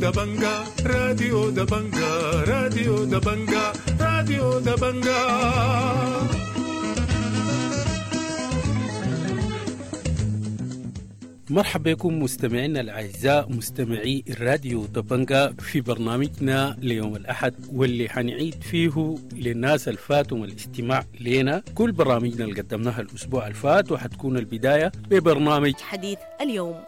دبنجا، راديو دبنجا، راديو دبنجا، راديو دبنجا. مرحبا بكم مستمعينا الأعزاء مستمعي الراديو دبنجا في برنامجنا ليوم الأحد، واللي حنعيد فيه للناس الفاتهم الاستماع لنا كل برامجنا اللي قدمناها الأسبوع الفات، وحتكون البداية ببرنامج حديث اليوم.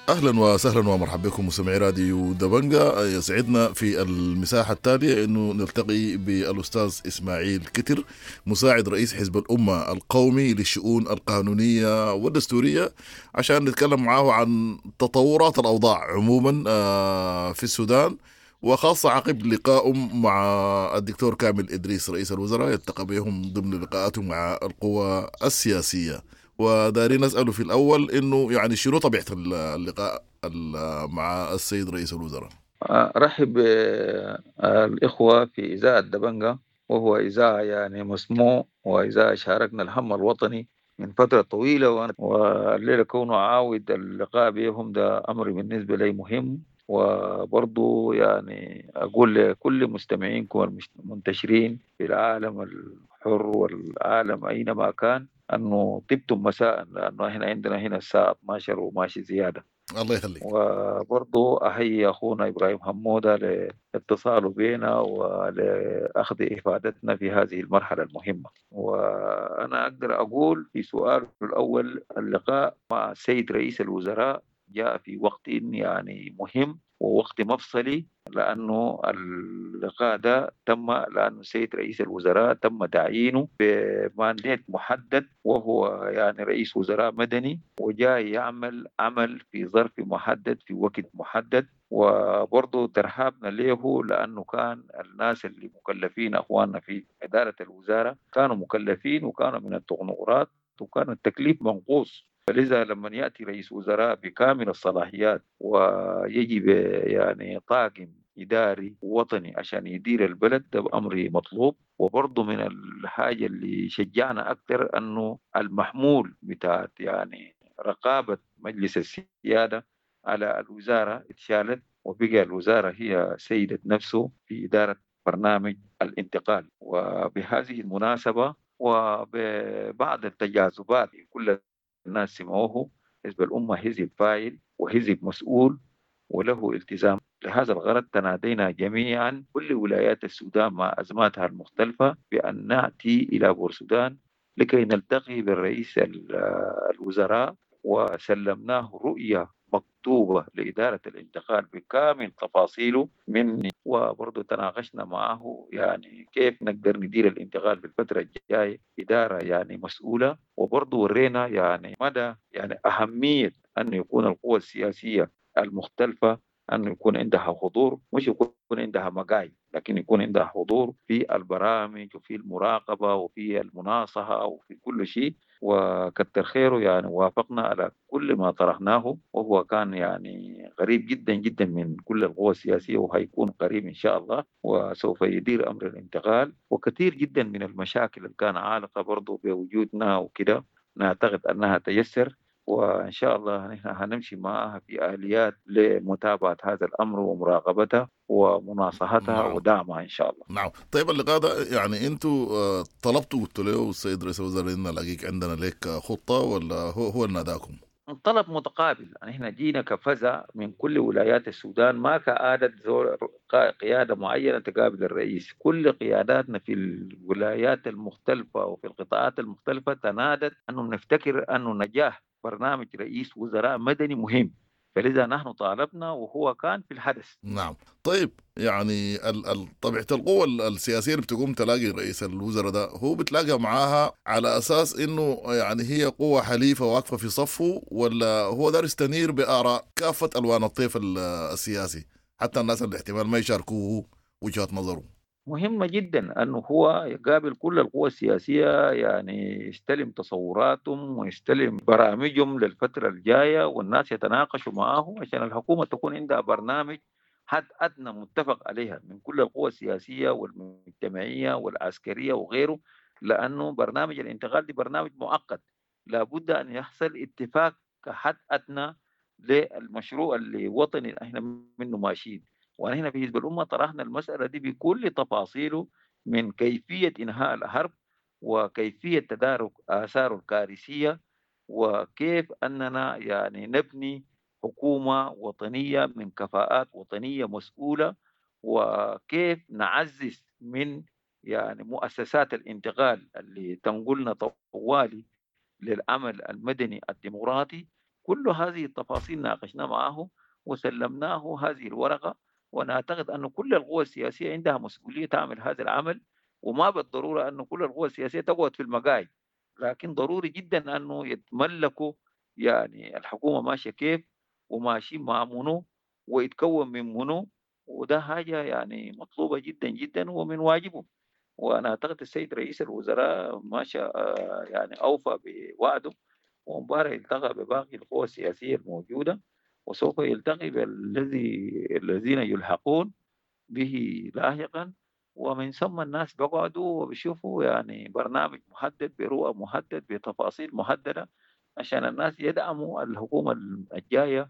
اهلا وسهلا ومرحبا بكم مستمعي راديو دبنجا. يسعدنا في المساحة التالية انه نلتقي بالاستاذ اسماعيل كتر، مساعد رئيس حزب الامة القومي للشؤون القانونية والدستوريه، عشان نتكلم معاه عن تطورات الاوضاع عموما في السودان، وخاصة عقب لقائهم مع الدكتور كامل ادريس رئيس الوزراء، يلتقى بهم ضمن لقاءاته مع القوى السياسية. ودارين نسأله في الأول إنه يعني شنو طبيعة اللقاء مع السيد رئيس الوزراء؟ أرحب بالإخوة في إذاعة دبنجا، وهو إذاعة يعني مسموع، وإذاعة شاركنا الهم الوطني من فترة طويلة، والليلة كونه عاود اللقاء بهم ده أمر بالنسبة لي مهم. وبرضو يعني أقول لكل مستمعينكم المنتشرين في العالم الحر والعالم أينما كان أنه طبتم مساء، لأنه إحنا عندنا هنا الساعة 12 وماشي زيادة. الله يخليك. وبرضو أحيي أخونا إبراهيم حمودة لاتصاله بنا ولأخذ إفادتنا في هذه المرحلة المهمة. وأنا أقدر أقول في سؤال الأول، اللقاء مع السيد رئيس الوزراء جاء في وقت يعني مهم ووقت مفصلي، لأنه اللقاء ده تم لأنه السيد رئيس الوزراء تم تعيينه بمانديت محدد، وهو يعني رئيس وزراء مدني وجاي يعمل عمل في ظرف محدد في وقت محدد. وبرضه ترحابنا له لأنه كان الناس اللي مكلفين أخواننا في إدارة الوزارة كانوا مكلفين وكانوا من التقنقرات، وكان التكليف منقوص. فلذا لما يأتي رئيس وزراء بكامل الصلاحيات ويجي يعني طاقم إداري وطني عشان يدير البلد، ده أمر مطلوب. وبرضه من الحاجة اللي شجعنا أكثر أنه المحمول بتاعت يعني رقابة مجلس السيادة على الوزارة اتشالت، وبقى الوزارة هي سيدة نفسه في إدارة برنامج الانتقال. وبهذه المناسبة وبعض التجاذبات كل الناس سمعوه، حزب الأمة حزب فاعل وحزب مسؤول وله التزام. لهذا الغرض تنادينا جميعا كل ولايات السودان مع أزماتها المختلفة بأن نأتي إلى بورسودان لكي نلتقي بالرئيس الوزراء، وسلمناه رؤية مكتوبة لإدارة الانتقال بكامل تفاصيله من، وبرضه تناقشنا معه يعني كيف نقدر ندير الانتقال في الفترة الجاية إدارة يعني مسؤولة. وبرضه ورينا يعني مدى يعني أهمية أن يكون القوى السياسية المختلفة أن يكون عندها حضور، مش يكون عندها مقاعد، لكن يكون عندها حضور في البرامج وفي المراقبة وفي المناصحة وفي كل شيء. وكتر خيره يعني وافقنا على كل ما طرحناه، وهو كان يعني قريب جدا جدا من كل القوى السياسية، وهيكون قريب إن شاء الله، وسوف يدير أمر الانتقال. وكثير جدا من المشاكل اللي كان عالقة برضو بوجودنا وكده نعتقد أنها تيسر، وإن شاء الله نحن هنمشي معها في آليات لمتابعة هذا الأمر ومراقبته ومناصحتها. نعم. ودعمها إن شاء الله. نعم. طيب اللقاء ده يعني أنتوا طلبتوا قلتوا له السيد رئيس الوزراء إن نلاقيك عندنا لك خطة، ولا هو اللي ناداكم؟ الطلب متقابل، يعني احنا جينا كفزع من كل ولايات السودان، ما كعادة قيادة معينة تقابل الرئيس. كل قياداتنا في الولايات المختلفة وفي القطاعات المختلفة تنادت أنه نفتكر أنه نجاح برنامج رئيس وزراء مدني مهم، فلذا نحن طالبنا وهو كان في الحدث. نعم. طيب يعني طبيعة القوى السياسية اللي بتقوم تلاقي رئيس الوزراء ده، هو بتلاقى معاها على أساس إنه يعني هي قوة حليفة واقفة في صفة، ولا هو دار يستنير بآراء كافة ألوان الطيف السياسي، حتى الناس اللي احتمال ما يشاركوه وجهات نظره؟ مهمة جدا أنه هو يقابل كل القوى السياسية، يعني يستلم تصوراتهم ويستلم برامجهم للفترة الجاية، والناس يتناقشوا معه عشان الحكومة تكون عندها برنامج حد أدنى متفق عليها من كل القوى السياسية والمجتمعية والعسكرية وغيره، لأنه برنامج الانتقال دي برنامج مؤقت، لابد أن يحصل اتفاق كحد أدنى للمشروع اللي وطني احنا منه ماشيين. ونحن في حزب الأمة طرحنا المسألة دي بكل تفاصيله، من كيفية إنهاء الحرب وكيفية تدارك آثاره الكارثية، وكيف أننا يعني نبني حكومة وطنية من كفاءات وطنية مسؤولة، وكيف نعزز من يعني مؤسسات الانتقال اللي تنقلنا طوالي للعمل المدني الديمقراطي. كل هذه التفاصيل ناقشنا معه وسلمناه هذه الورقة، ونعتقد أن كل القوى السياسية عندها مسؤولية تعمل هذا العمل، وما بالضرورة أن كل القوى السياسية تقعد في المقاعد، لكن ضروري جدا أنه يتملكوا يعني الحكومة ماشية كيف وماشي مع منو ويتكون من منو، وده حاجة يعني مطلوبة جدا جدا ومن واجبه. وأنا أعتقد السيد رئيس الوزراء ماشى يعني أوفى بوعده، ومبارح التقى بباقي القوى السياسية الموجودة، وسوف يلتقي بالذين يلحقون به لاحقا، ومن ثم الناس بقعدوا وبيشوفوا يعني برنامج محدد برؤى محدد بتفاصيل محددة عشان الناس يدعموا الحكومة الجاية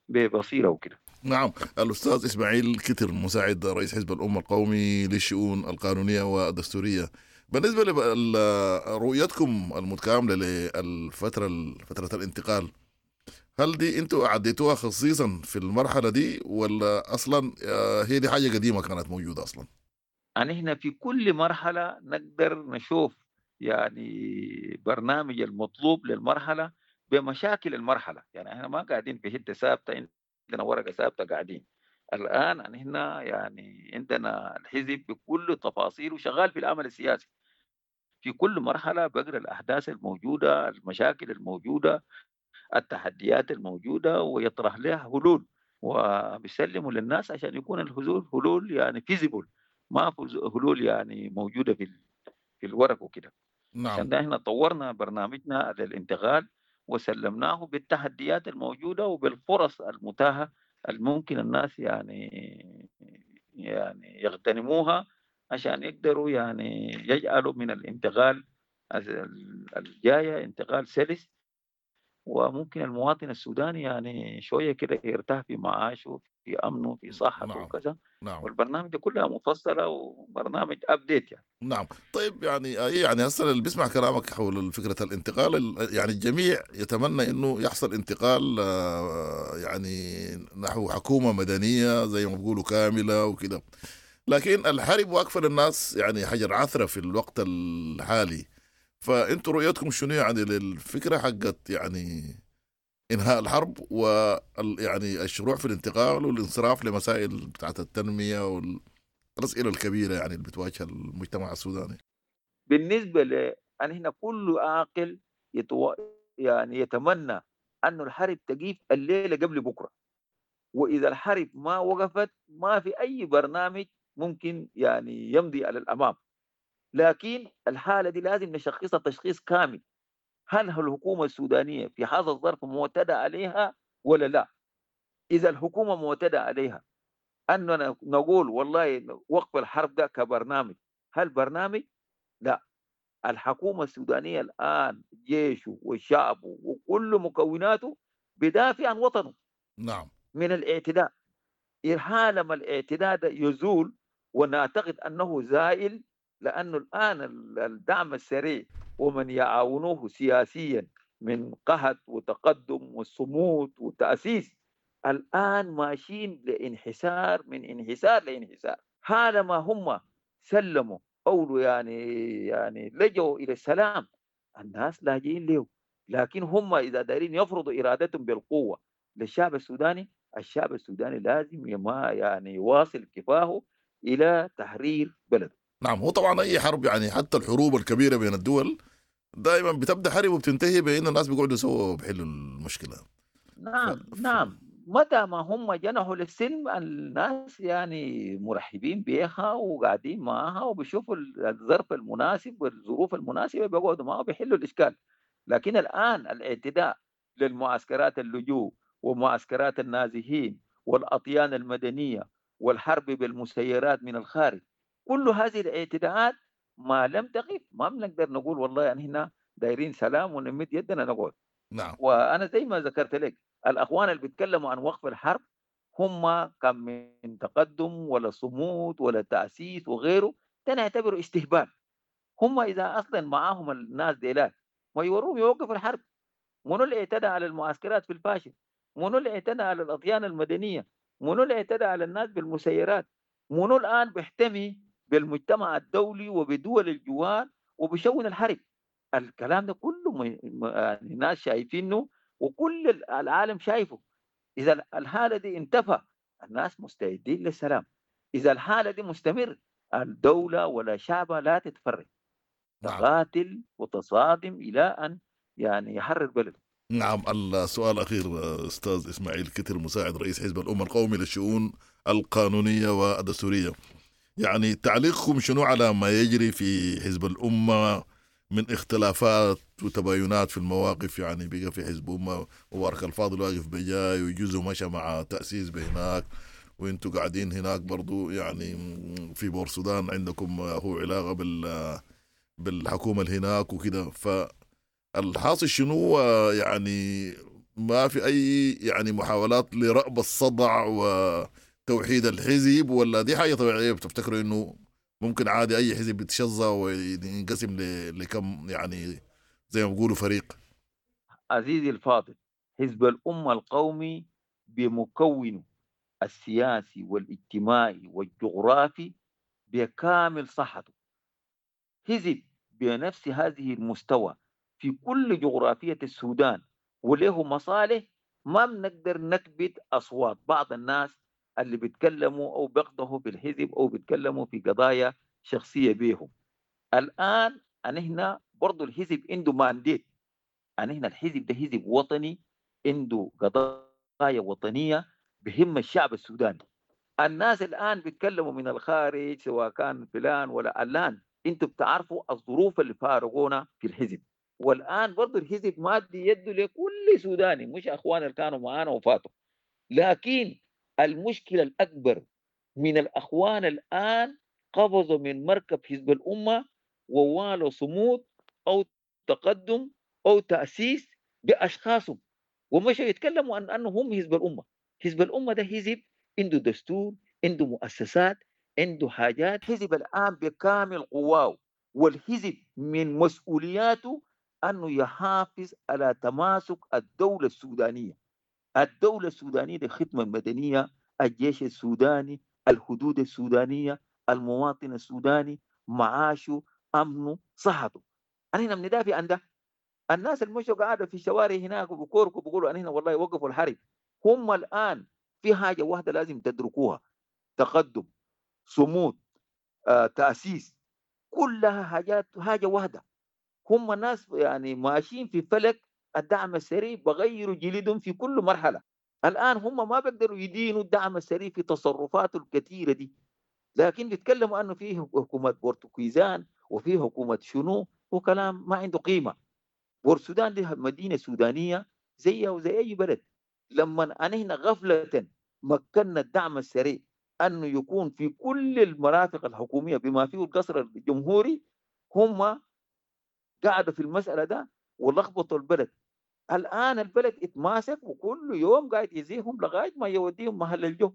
ببصيرة وكده. نعم، الأستاذ إسماعيل كتر مساعد رئيس حزب الأمة القومي للشؤون القانونية والدستورية، بالنسبة لرؤيتكم المتكاملة للفترة فترة الانتقال، هل دي انتوا عديتوها خصيصا في المرحلة دي ولا أصلا هي دي حاجة قديمة كانت موجودة أصلا؟ يعني احنا في كل مرحلة نقدر نشوف يعني برنامج المطلوب للمرحلة بمشاكل المرحلة، يعني احنا ما قاعدين في حتة ثابتة، عندنا ورقة ثابتة قاعدين. الآن احنا يعني عندنا الحزب بكل تفاصيله شغال في العمل السياسي، في كل مرحلة بقرأ الأحداث الموجودة، المشاكل الموجودة، التحديات الموجودة، ويطرح لها حلول وبيسلموا للناس عشان يكون الحلول حلول يعني فيزيبل، ما حلول يعني موجودة في الورق وكده. نعم. عشان ده احنا طورنا برنامجنا للانتقال وسلمناه بالتحديات الموجودة وبالفرص المتاحة الممكن الناس يعني يغتنموها عشان يقدروا يعني يجعلوا من الانتقال الجاية انتقال سلس، وممكن المواطن السوداني يعني شوية كده يرتاح في معاشه، في أمنه، في صحته. نعم. وكذا. نعم. والبرنامج ده كلها مفصلة وبرنامج أبديت يعني. نعم. طيب يعني هسه اللي بيسمع كلامك حول فكرة الانتقال، يعني الجميع يتمنى إنه يحصل انتقال يعني نحو حكومة مدنية زي ما بيقولوا كاملة وكده، لكن الحرب واقفة للناس يعني حجر عثرة في الوقت الحالي. فانتوا رؤيتكم شنو يعني للفكرة حقت يعني إنهاء الحرب يعني الشروع في الانتقال والانصراف لمسائل بتاعت التنمية والأسئلة الكبيرة يعني اللي بتواجه المجتمع السوداني؟ بالنسبة ل هنا كل عاقل يعني يتمنى أن الحرب تقيف الليلة قبل بكرة، وإذا الحرب ما وقفت ما في أي برنامج ممكن يعني يمضي على الأمام. لكن الحالة دي لازم نشخصها تشخيص كامل، هل الحكومة السودانية في هذا الظرف معتدى عليها ولا لا؟ إذا الحكومة معتدى عليها أننا نقول والله وقف الحرب ده كبرنامج، هل برنامج؟ لا. الحكومة السودانية الآن جيشه وشعبه وكل مكوناته بدافع عن وطنه. نعم. من الاعتداء. حالما الاعتداء ده يزول، ونعتقد أنه زائل، لأنه الآن الدعم السريع ومن يعاونوه سياسيا من قهد وتقدم وصمود وتأسيس الآن ماشيين لانحسار، من انحسار لانحسار. حالما هم سلموا أو يعني لجوا إلى السلام، الناس لاجئين له. لكن هم إذا دارين يفرضوا إرادتهم بالقوة للشعب السوداني، الشعب السوداني لازم يعني يواصل كفاحه إلى تحرير بلده. نعم. هو طبعا أي حرب يعني حتى الحروب الكبيرة بين الدول دائما بتبدأ حرب وبتنتهي بأن الناس بيقعدوا سوا وبيحلوا المشكلة. نعم. نعم. متى ما هم جنحوا للسلم الناس يعني مرحبين بيها وقاعدين معاها، وبيشوفوا الظرف المناسب والظروف المناسبة بيقعدوا معاها وبيحلوا الإشكال. لكن الآن الاعتداء للمعسكرات اللجوء ومعسكرات النازحين والأطيان المدنية والحرب بالمسيرات من الخارج، كل هذه الاعتداءات ما لم تقف ما بنقدر نقول والله يعني هنا دايرين سلام ونمد يدنا نقعد. نعم. وأنا زي ما ذكرت لك الأخوان اللي بيتكلموا عن وقف الحرب هم كان من تقدم ولا صمود ولا تأسيس وغيره، ده نعتبره استهبال. هم إذا أصلا معاهم الناس ديلات ما يوروهم يوقفوا الحرب. منو اللي اعتدى على المعسكرات في الفاشل؟ منو اللي اعتدى على الأطيان المدنية؟ منو اللي اعتدى على الناس بالمسيرات؟ منو الآن بيحتمي بالمجتمع الدولي وبدول الجوار وبشون الحرب؟ الكلام ده كله يعني الناس شايفينه وكل العالم شايفه. إذا الحالة دي انتفى الناس مستعدين للسلام. إذا الحالة دي مستمر الدولة ولا شعبها لا تتفرج، تقاتل وتصادم إلى أن يعني يحرر بلده. نعم. السؤال الأخير أستاذ إسماعيل كتر، مساعد رئيس حزب الأمة القومي للشؤون القانونية والدستورية، يعني تعليقكم شنو على ما يجري في حزب الأمة من اختلافات وتباينات في المواقف؟ يعني بقى في حزب أمة مبارك الفاضل واقف بجاي وجزء مشى مع تأسيس بهناك، وانتوا قاعدين هناك برضو يعني في بور السودان عندكم هو علاقة بالحكومة اللي هناك وكده، فالحاصل شنو؟ يعني ما في أي يعني محاولات لرأب الصدع وتوحيد الحزب، ولا دي حاجة طبيعية بتفتكروا إنه ممكن عادي أي حزب يتشظى وينقسم لكم يعني زي ما بيقولوا فريق؟ عزيزي الفاضل، حزب الأمة القومي بمكونه السياسي والاجتماعي والجغرافي بكامل صحته، حزب بنفس هذه المستوى في كل جغرافية السودان وله مصالح. ما بنقدر نكبت أصوات بعض الناس اللي بيتكلموا أو بيقضوا في الحزب أو بيتكلموا في قضايا شخصية بيهم. الآن أنحنا برضو الحزب عنده مانديت، أنحنا الحزب ده حزب وطني عنده قضايا وطنية بهم الشعب السوداني. الناس الآن بيتكلموا من الخارج سواء كان فلان ولا علان، انتوا بتعرفوا الظروف اللي فارقونا في الحزب. والآن برضو الحزب مادي يده لكل سوداني، مش أخوان اللي كانوا معانا وفاتوا. لكن المشكلة الأكبر من الأخوان الآن قفزوا من مركب حزب الأمة ووالوا صمود أو تقدم أو تأسيس بأشخاصهم، ومشوا يتكلموا عن أنه هم حزب الأمة. حزب الأمة ده حزب عنده دستور، عنده مؤسسات، عنده حاجات. حزب الآن بكامل قواه، والحزب من مسؤولياته أنه يحافظ على تماسك الدولة السودانية. الدولة السودانية دي الخدمة المدنية، الجيش السوداني، الحدود السودانية، المواطن السوداني، معاشه، أمنه، صحته. أنا بندافع عن ده. الناس المشوا قاعدة في الشوارع هناك وبكوركوا بيقولوا أنا هنا والله وقفوا الحرب. هم الآن في حاجة واحدة لازم تدركوها: تقدم، صمود، تأسيس، كلها حاجات حاجة واحدة. هم ناس يعني ماشيين في فلك الدعم السريع، بغيروا جلدهم في كل مرحلة. الآن هم ما بيقدروا يدينوا الدعم السريع في تصرفاته الكثيرة دي، لكن بيتكلموا أنه فيه حكومة بورتوكيزان وفيه حكومة شنو، وكلام ما عنده قيمة. بورسودان دي مدينة سودانية زيها وزي أي بلد. لما أنهنا غفلة مكنا الدعم السريع أنه يكون في كل المرافق الحكومية بما فيه القصر الجمهوري، هم قعدوا في المسألة ده ولخبطوا البلد. الآن البلد اتماسك وكل يوم قاعد يزيهم لغاية ما يوديهم محل الجو.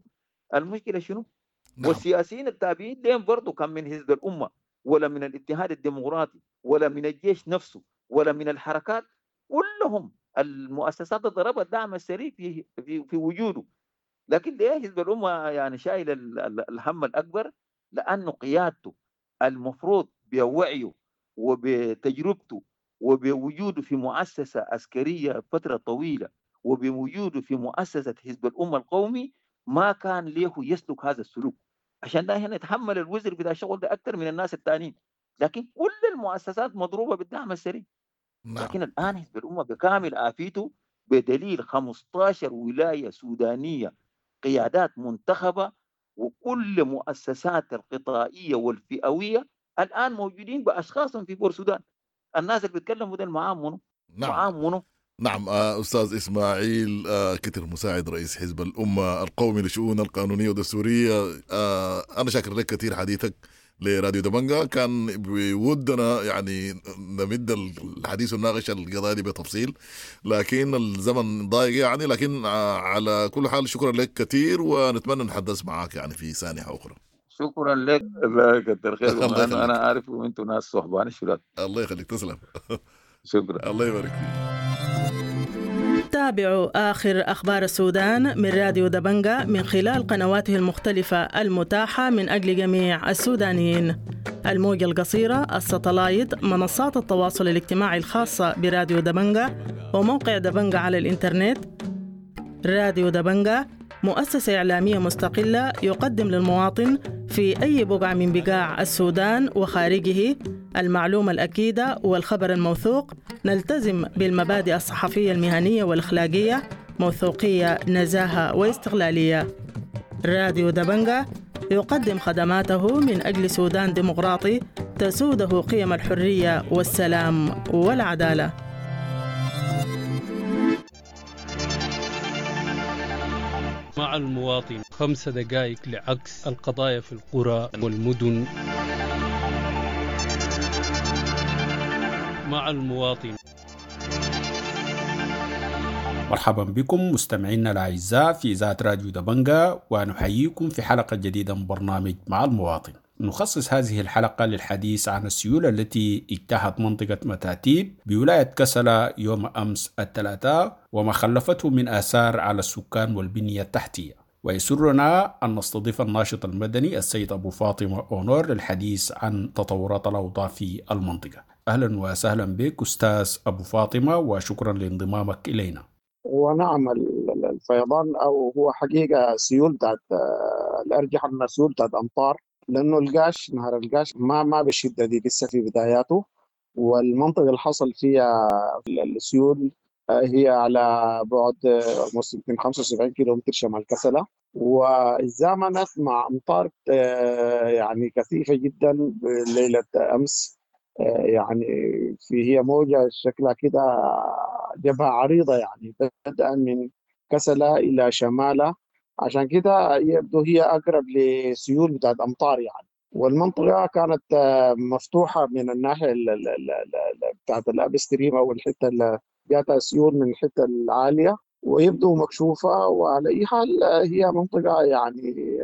المشكلة شنو؟ نعم. والسياسيين التابعين لهم برضو كان من حزب الأمة ولا من الاتحاد الديمقراطي ولا من الجيش نفسه ولا من الحركات، كلهم المؤسسات ضربت الدعم السريع في في في وجوده. لكن ليه حزب الأمة يعني شايل الهم الأكبر؟ لأنه قيادته المفروض بوعيه وبتجربته وبوجوده في مؤسسة عسكرية فترة طويلة وبوجوده في مؤسسة حزب الأمة القومي ما كان ليه يسلك هذا السلوك. عشان ده هنا يتحمل الوزر بتاع الشغل ده أكثر من الناس الثانيين. لكن كل المؤسسات مضروبة بالدعم السريع. نعم. لكن الآن حزب الأمة بكامل عافيته بدليل 15 ولاية سودانية قيادات منتخبة، وكل مؤسسات القطائية والفئوية الآن موجودين بأشخاص في بور السودان. الناس اللي بيتكلموا ده معاهم منو؟ نعم. معاهم منو؟ نعم. أستاذ إسماعيل كتر، مساعد رئيس حزب الأمة القومي للشؤون القانونية والدستورية، أنا شاكر لك كثير حديثك لراديو دبنجا. كان بودنا يعني نمد الحديث ونناقش القضايا دي بتفصيل، لكن الزمن ضايق يعني، لكن على كل حال شكرا لك كثير، ونتمنى نتحدث معك يعني في سانحة أخرى. شكرا لك، الله يكثر خيركم. الله يخليك. أنا عارف وأنتم ناس صحبان الشلال. الله يخليك، تسلم. شكرا، الله يبارك فيك. تابعوا آخر أخبار السودان من راديو دبنجا من خلال قنواته المختلفة المتاحة من أجل جميع السودانيين: الموجة القصيرة، الستلايت، منصات التواصل الاجتماعي الخاصة براديو دبنجا، وموقع دبنجا على الإنترنت. راديو دبنجا مؤسسة إعلامية مستقلة يقدم للمواطن في أي بقعة من بقاع السودان وخارجه المعلومة الأكيدة والخبر الموثوق. نلتزم بالمبادئ الصحفية المهنية والأخلاقية، موثوقية، نزاهة واستقلالية. راديو دبنجا يقدم خدماته من أجل سودان ديمقراطي تسوده قيم الحرية والسلام والعدالة. مع المواطن 5 دقائق لعكس القضايا في القرى والمدن. مع المواطن. مرحبا بكم مستمعينا الأعزاء في إذاعة راديو دبنجا، ونحييكم في حلقة جديدة من برنامج مع المواطن. نخصص هذه الحلقة للحديث عن السيول التي اجتاحت منطقة متاتيب بولاية كسلا يوم أمس الثلاثاء، وما خلفته من آثار على السكان والبنية التحتية. ويسرنا أن نستضيف الناشط المدني السيد أبو فاطمة أونور للحديث عن تطورات الأوضاع في المنطقة. أهلا وسهلا بك أستاذ أبو فاطمة، وشكرا لانضمامك إلينا. ونعم، الفيضان أو هو حقيقة سيول بتاعت الأرجح أنها سيول بتاعت أمطار، لأنه القاش، نهر القاش ما بالشدة دي لسه في بداياته، والمنطقة اللي حصل فيها السيول هي على بعد 75 كيلومتر شمال كسلة، وزامنت مع أمطار يعني كثيفة جدا ليلة أمس. يعني في هي موجة شكلها كده جبهة عريضة، يعني بدءا من كسلة إلى شمالة، عشان كده يبدو هي أقرب لسيول بتاعت أمطار يعني. والمنطقة كانت مفتوحة من الناحية بتاعت ال upstream أو الحتة اللي جاتها سيول من الحتة العالية، ويبدو مكشوفة. وعلى أي حال هي منطقة يعني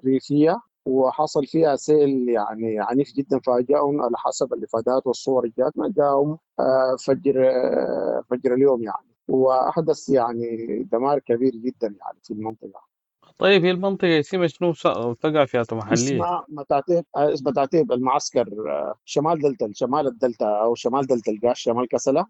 ريفية، وحصل فيها سيل يعني عنيف جدا، فاجأهم على حسب الإفادات والصور اللي جاتنا، جاءهم فجر اليوم يعني، وأحدث يعني دمار كبير جدا يعني في المنطقة. طيب هي المنطقة اسمها شنو تقع فيها محلية؟ اسمها متاتيب، متاتيب المعسكر، شمال دلتا، شمال الدلتا أو شمال دلتا القاش، شمال كسلة،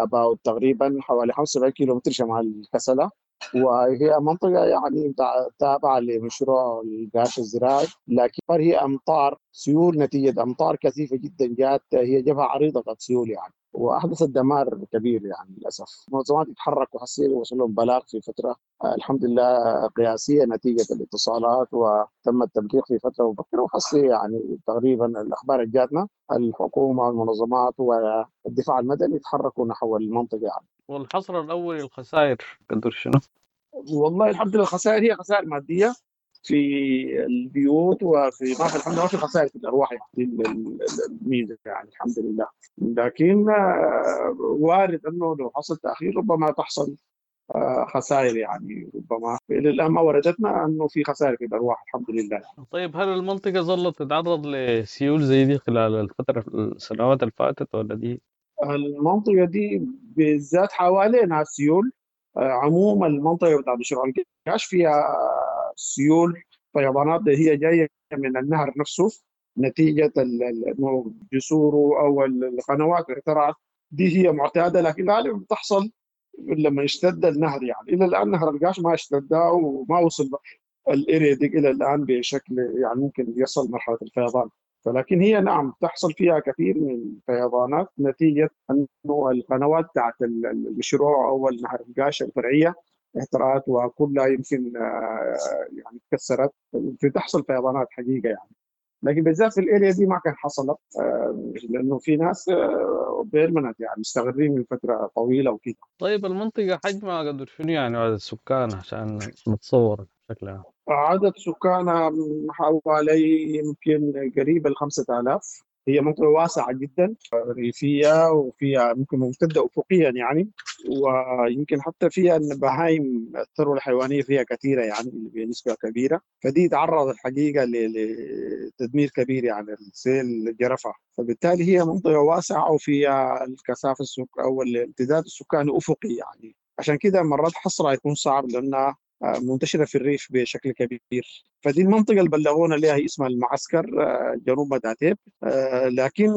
about تقريبا حوالي 75 كيلومتر شمال كسلة. وهي منطقة يعني تابعة لمشروع القاش الزراعي، لكن هي أمطار سيول نتيجة أمطار كثيفة جدا جات، هي جبهة عريضة بتاعت سيول يعني، وأحدثت دمار كبير يعني للأسف. منظمات يتحركوا حسيل وصل لهم بلاغ في فترة الحمد لله قياسية نتيجة الاتصالات، وتم التبليغ في فترة مبكرة، وحسي يعني تقريبا الأخبار اللي جاتنا الحكومة والمنظمات والدفاع المدني يتحركوا نحو المنطقة يعني. والحصر الأول الخسائر قدر شنو؟ والله الحمد لله الخسائر هي خسائر مادية في البيوت، وفي ما في الحمد لله ما في خسائر في الأرواح يعني، الميزة يعني الحمد لله. لكن وارد أنه لو حصل تأخير ربما تحصل خسائر يعني، ربما إلى الآن ما وردتنا أنه في خسائر في الأرواح الحمد لله. طيب هل المنطقة ظلت تتعرض لسيول زي دي خلال الفترة السنوات اللي فاتت ولا دي؟ المنطقة دي بالذات حوالينها سيول. عموما المنطقة بتاعت مشروع القاش فيها سيول فيضانات هي جاية من النهر نفسه نتيجة جسوره أو القنوات اللي اخترعت دي، هي معتادة، لكن غالبا بتحصل لما يشتد النهر يعني. إلى الآن نهر القاش ما اشتد وما وصل الإريدق إلى الآن بشكل يعني ممكن يصل مرحلة الفيضان. فلكن هي نعم تحصل فيها كثير من الفيضانات نتيجة أنه القنوات بتاعت المشروع أو نهر القاش الفرعية اهترأت وكلها يمكن يعني تكسرت، بتحصل فيضانات حقيقة يعني. لكن بالذات في ال area دي ما كان حصلت، لانه في ناس permanent يعني مستقرين من فترة طويلة وكده. طيب المنطقة حجمها قدر شنو يعني عدد السكان عشان نتصور بشكل عام؟ عدد سكانها حوالي يمكن قريب ال 5000. هي منطقة واسعة جدا ريفية، وفيها ممكن ممتدة أفقيا يعني، ويمكن حتى فيها البهايم الثروة الحيوانية فيها كثيرة يعني بنسبة كبيرة، فدي تعرض الحقيقة لتدمير كبير يعني السيل جرفها. فبالتالي هي منطقة واسعة وفيها الكثافة أو الامتداد السكاني أفقي يعني، عشان كده مرات حصرها يكون صعب لأنها منتشرة في الريف بشكل كبير. فدي المنطقة اللي بلغونا لها هي اسمها المعسكر جنوب مداتيب، لكن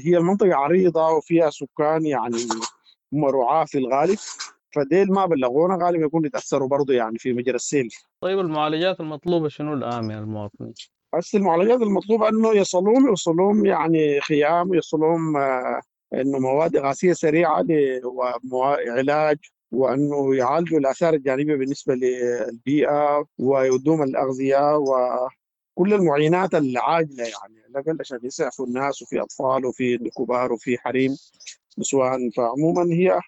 هي المنطقة عريضة وفيها سكان يعني هم رعاة في الغالب، فديل ما بلغونا غالبا يكون يتأثروا برضو يعني في مجرى السيل. طيب المعالجات المطلوبة شنو الآن من المواطنين؟ بس المعالجات المطلوبة أنه يصلون يعني خيام، يصلون أنه مواد إغاثية سريعة وعلاج، وأنه يعالجوا الآثار الجانبية بالنسبة للبيئة، ويودوهم الأغذية وكل المعينات العاجلة يعني الأقل عشان يسعفوا الناس، وفي أطفال وفي كبار وفي حريم نسوان. فعموما هي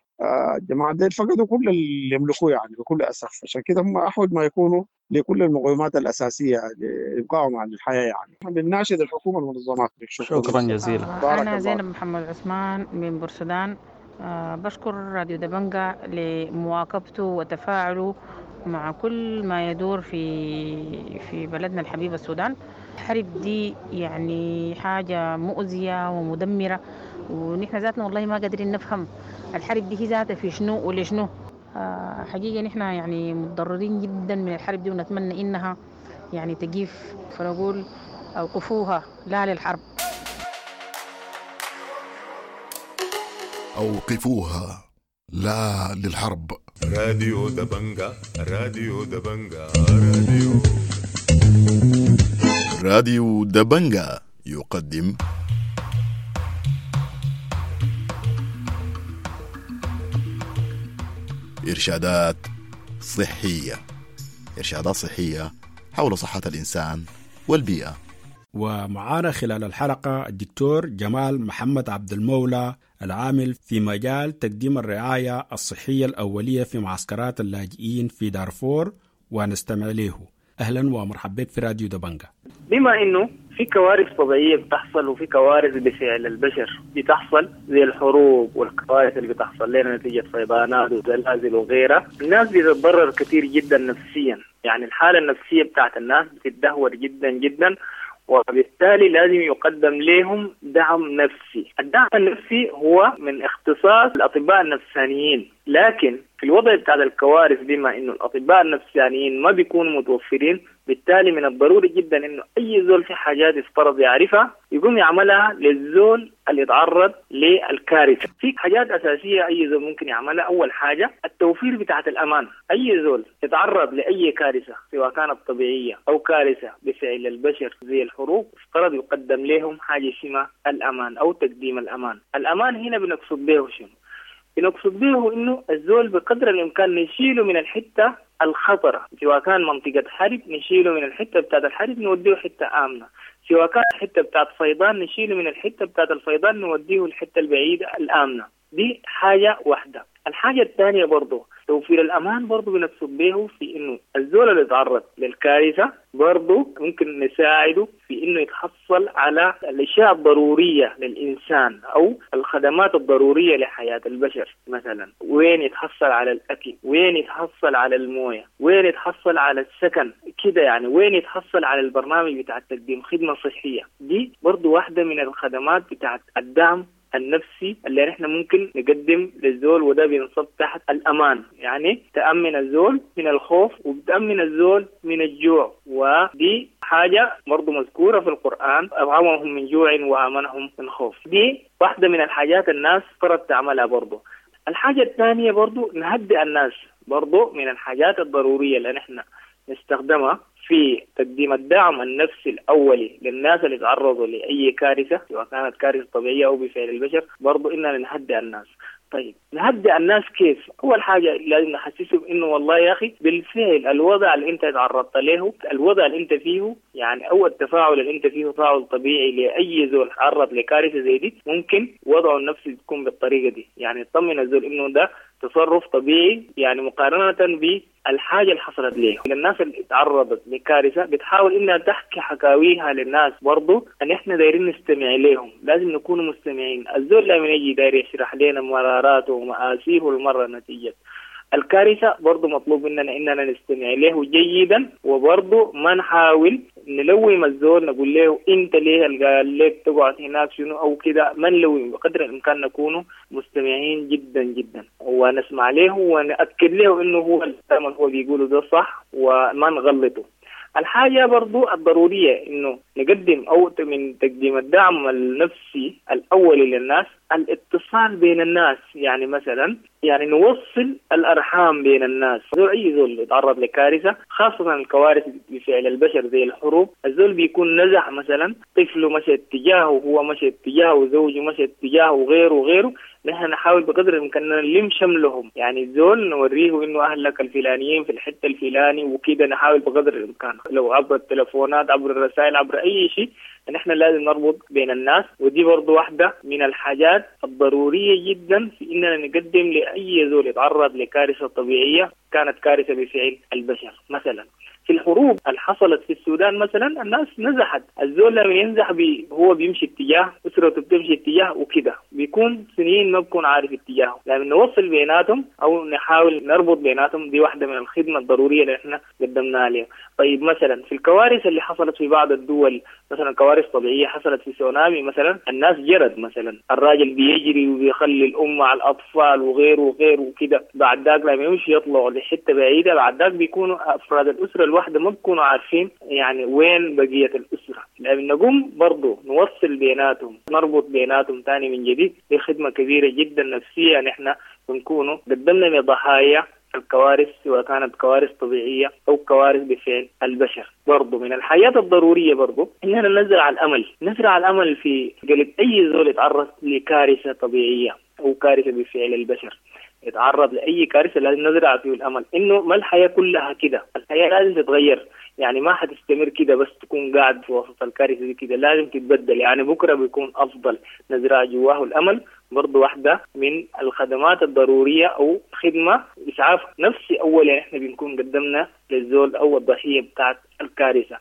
الجماعة ديل فقدوا كل اللي يملكوه يعني بكل أسف، عشان كده هم أحوج ما يكونوا لكل المقومات الأساسية لإبقائهم على الحياة يعني. بنناشد الحكومة والمنظمات. شكرا جزيلا. أنا زينب محمد عثمان من بورسودان. بشكر راديو دبنجا لمواكبته وتفاعله مع كل ما يدور في بلدنا الحبيب السودان. الحرب دي يعني حاجة مؤذية ومدمرة، ونحن ذاتنا والله ما قادرين نفهم الحرب دي هي ذاتها في شنو ولشنو. حقيقة نحن يعني متضررين جدا من الحرب دي، ونتمنى إنها يعني تقيف، فنقول أوقفوها لا للحرب. أوقفوها لا للحرب. راديو دبنجا، راديو دبنجا، راديو راديو دبنجا يقدم إرشادات صحية، إرشادات صحية حول صحة الإنسان والبيئة. ومعانا خلال الحلقة الدكتور جمال محمد عبد المولى العامل في مجال تقديم الرعاية الصحية الأولية في معسكرات اللاجئين في دارفور، ونستمع له. أهلا ومرحبا بك في راديو دبنجا. بما أنه في كوارث طبيعية بتحصل وفي كوارث بفعل البشر بتحصل زي الحروب والكوارث اللي بتحصل لنا نتيجة فيضانات وزلازل وغيرها، الناس بتتضرر كثير جدا نفسيا، يعني الحالة النفسية بتاعت الناس بتتدهور جدا جدا، وبالتالي لازم يقدم لهم دعم نفسي. الدعم النفسي هو من اختصاص الأطباء النفسانيين، لكن في الوضع بتاع الكوارث بما إنه الأطباء النفسانيين ما بيكونوا متوفرين، بالتالي من الضروري جدا إنه أي زول في حاجات يفترض يعرفها يقوم يعملها للزول اللي يتعرض للكارثة. في حاجات أساسية أي زول ممكن يعملها. أول حاجة التوفير بتاعت الأمان. أي زول يتعرض لأي كارثة سواء كانت طبيعية أو كارثة بفعل البشر زي الحروب، افترض يقدم لهم حاجة اسمها الأمان أو تقديم الأمان. الأمان هنا بنقصد به شنو؟ بنقصد به إنه الزول بقدر الإمكان نشيله من الحتة الخطرة، سواء كان منطقة حرب نشيله من الحتة بتاعت الحرب نوديه حتة آمنة، سواء كان حتة بتاعت فيضان نشيله من الحتة بتاعت الفيضان نوديه الحتة البعيدة الآمنة. دي حاجة واحدة. الحاجة الثانية برضو توفير الأمان برضو بنقصد به في إنه الزول اللي يتعرض للكارثة برضو ممكن نساعده في إنه يتحصل على الأشياء الضرورية للإنسان أو الخدمات الضرورية لحياة البشر. مثلا وين يتحصل على الأكل، وين يتحصل على الموية، وين يتحصل على السكن كده يعني، وين يتحصل على البرنامج بتاع تقديم خدمة صحية. دي برضو واحدة من الخدمات بتاعت الدعم النفسي اللي احنا ممكن نقدم للزول، وده بينصب تحت الأمان، يعني تأمن الزول من الخوف وبتأمن الزول من الجوع. ودي حاجة برضو مذكورة في القرآن، أطعمهم من جوع وآمنهم من خوف. دي واحدة من الحاجات الناس فرض تعملها برضو. الحاجة الثانية برضو نهدئ الناس، برضو من الحاجات الضرورية اللي احنا نستخدمها في تقديم الدعم النفسي الأولي للناس اللي تعرضوا لأي كارثة، سواء كانت كارثة طبيعية أو بفعل البشر، برضو إننا نهدئ الناس. طيب نهدئ الناس كيف؟ أول حاجة لازم نحسسهم إنه والله يا أخي بالفعل الوضع اللي أنت تعرضت له، الوضع اللي أنت فيه، يعني أو التفاعل اللي أنت فيه تفاعل طبيعي لأي زول تعرض لكارثة زي دي، ممكن وضعه النفسي تكون بالطريقة دي. يعني تطمن الزول إنه ده تصرف طبيعي، يعني مقارنة بالحاجة اللي حصلت ليه. الناس اللي تعرضت لكارثة بتحاول إنها تحكي حكاويها للناس، برضو أن إحنا دايرين نستمع لهم، لازم نكون مستمعين. الزول لما يجي داير يشرح لنا مراراته ومآسيه المرة نتيجة الكارثة، برضو مطلوب مننا إننا نستمع له جيدا، وبرضو ما نحاول نلوم الزول نقول له أنت ليه قال لك تقعد هناك شنو أو كده، ما نلوم، بقدر الإمكان نكون مستمعين جدا جدا ونسمع له ونأكد له إنه هو الكلام اللي هو بيقوله ده صح وما نغلطه. الحاجة برضو الضرورية إنه نقدم أو من تقديم الدعم النفسي الأولي للناس الاتصال بين الناس، يعني مثلا يعني نوصل الأرحام بين الناس. زول أي زول يتعرض لكارثة، خاصة الكوارث بفعل البشر زي الحروب، الزول بيكون نزح مثلا، طفله مشى اتجاهه، هو مشى اتجاهه، زوجه مشى اتجاهه، وغيره وغيره. نحن نحاول بقدر الإمكان نلم شملهم، يعني الزول نوريه إنه أهلك الفلانيين في الحتة الفلاني وكده، نحاول بقدر الإمكان لو عبر التلفونات، عبر الرسائل، عبر أي شيء، نحن لازم نربط بين الناس. ودي برضو واحدة من الحاجات الضرورية جدا في إننا نقدم لأي زول يتعرض لكارثة طبيعية كانت كارثة بفعل البشر. مثلا في الحروب اللي حصلت في السودان مثلا الناس نزحت، الزول لما ينزح هو بيمشي اتجاه، أسرته بتمشي اتجاه وكده، بيكون سنين ما بيكون عارف اتجاهه. لما نوصل بيناتهم أو نحاول نربط بيناتهم، دي واحدة من الخدمة الضرورية اللي احنا قدمناها لهم. طيب مثلا في الكوارث اللي حصلت في بعض الدول، مثلا كوارث طبيعية حصلت في سونامي مثلا، الناس جرت مثلا، الراجل بيجري وبيخلي الأم مع الأطفال وغيره وغيره وكده، بعد ذاك لما يمشي يطلعوا لحتة بعيدة، بعد ذاك بيكونوا أفراد الأسرة الواحدة ما بيكونوا عارفين يعني وين بقية الأسرة. لما نقوم برضو نوصل بيناتهم، نربط بيناتهم تاني من جديد، دي خدمة كبيرة جدا نفسية نحن بنكونوا قدمنا لضحايا الكوارث، سواء كانت كوارث طبيعية أو كوارث بفعل البشر. برضو من الحياة الضرورية برضو إننا نزرع الأمل، نزرع الأمل في قلب أي زول يتعرض لكارثة طبيعية أو كارثة بفعل البشر، يتعرض لأي كارثة لازم نزرع فيه الأمل إنه ما الحياة كلها كده، الحياة لازم تتغير، يعني ما حتستمر كده بس تكون قاعد في وسط الكارثة دي كده، لازم تتبدل، يعني بكرة بيكون أفضل. نزرع جواه الأمل برضو واحدة من الخدمات الضرورية أو خدمة إسعاف نفسي أولا إحنا بنكون قدمنا للزول أو الضحية بتاعت الكارثة.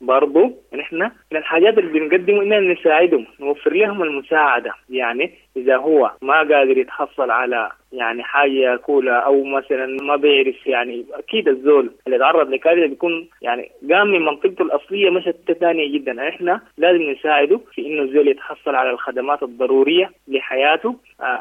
برضو نحن من الحاجات اللي بنقدمه إننا نساعدهم، نوفر لهم المساعدة، يعني إذا هو ما قادر يتحصل على يعني حاجة ياكلها أو مثلا ما بيعرف، يعني أكيد الزول اللي تعرض لكارثة بيكون يعني قام من منطقته الأصلية مشت ثانية جدا، إحنا لازم نساعده في إنه الزول يتحصل على الخدمات الضرورية لحياته.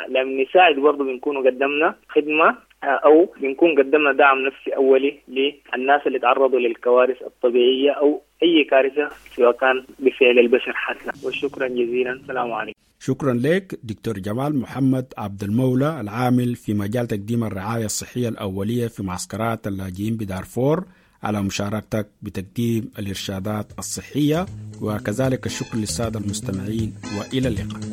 لما نساعد برضو بنكون قدمنا خدمة أو بنكون قدمنا دعم نفسي أولي للناس اللي تعرضوا للكوارث الطبيعية أو أي كارثة سواء كان بفعل البشر حتى. وشكرا جزيلا، السلام عليكم. شكرا لك دكتور جمال محمد عبد المولى، العامل في مجال تقديم الرعاية الصحية الأولية في معسكرات اللاجئين بدارفور، على مشاركتك بتقديم الإرشادات الصحية، وكذلك الشكر للسادة المستمعين، وإلى اللقاء.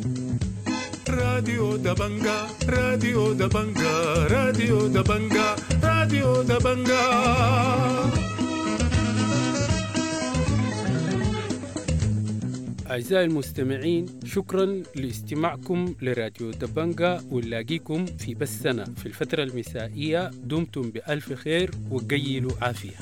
راديو دبنجا، راديو دبنجا، راديو دبنجا، راديو دبنجا. أعزائي المستمعين، شكرا لاستماعكم لراديو دبنجا، ونلاقيكم في بثنا في الفترة المسائية. دمتم بألف خير وقيلوا عافية.